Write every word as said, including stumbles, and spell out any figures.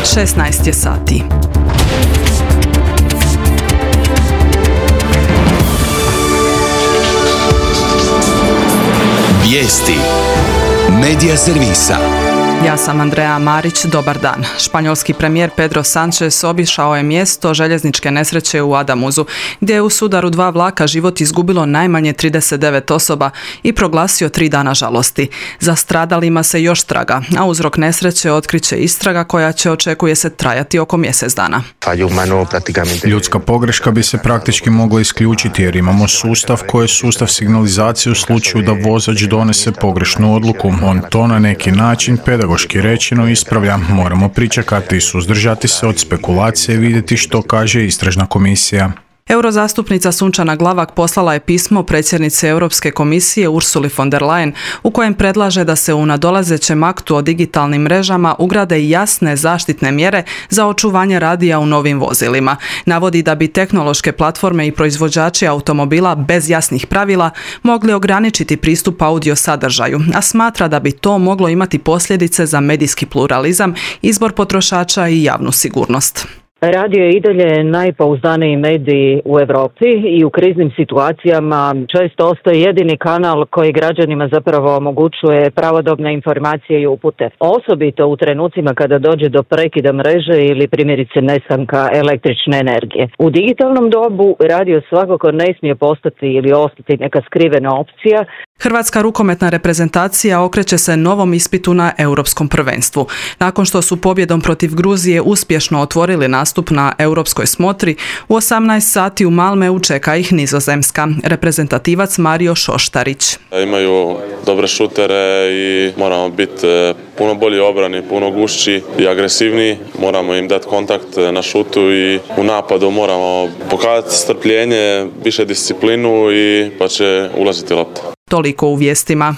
šesnaest je sati. Vijesti Medija servisa. Ja sam Andrea Marić, dobar dan. Španjolski premijer Pedro Sánchez obišao je mjesto željezničke nesreće u Adamuzu, gdje je u sudaru dva vlaka život izgubilo najmanje trideset devet osoba i proglasio tri dana žalosti. Za stradalima se još traga, a uzrok nesreće otkriće istraga koja će, očekuje se, trajati oko mjesec dana. Ljudska pogreška bi se praktički mogla isključiti jer imamo sustav koji je sustav signalizacije u slučaju da vozač donese pogrešnu odluku. On to na neki način pedagoški rečeno ispravlja. Moramo pričekati i suzdržati se od spekulacije i vidjeti što kaže istražna komisija. Eurozastupnica Sunčana Glavak poslala je pismo predsjednici Europske komisije Ursuli von der Leyen u kojem predlaže da se u nadolazećem aktu o digitalnim mrežama ugrade jasne zaštitne mjere za očuvanje radija u novim vozilima. Navodi da bi tehnološke platforme i proizvođači automobila bez jasnih pravila mogli ograničiti pristup audio sadržaju, a smatra da bi to moglo imati posljedice za medijski pluralizam, izbor potrošača i javnu sigurnost. Radio je i dalje najpouzdaniji medij u Europi i u kriznim situacijama često ostaje jedini kanal koji građanima zapravo omogućuje pravodobne informacije i upute. Osobito u trenucima kada dođe do prekida mreže ili primjerice nestanka električne energije. U digitalnom dobu radio svakako ne smije postati ili ostati neka skrivena opcija. Hrvatska rukometna reprezentacija okreće se novom ispitu na Europskom prvenstvu. Nakon što su pobjedom protiv Gruzije uspješno otvorili nastup na europskoj smotri, u osamnaest sati u Malmeu čeka ih Nizozemska. Reprezentativac Mario Šoštarić. Imaju dobre šutere i moramo biti puno bolji obrani, puno gušći i agresivniji. Moramo im dati kontakt na šutu i u napadu moramo pokazati strpljenje, više disciplinu i pa će ulaziti lopta. Toliko u vijestima.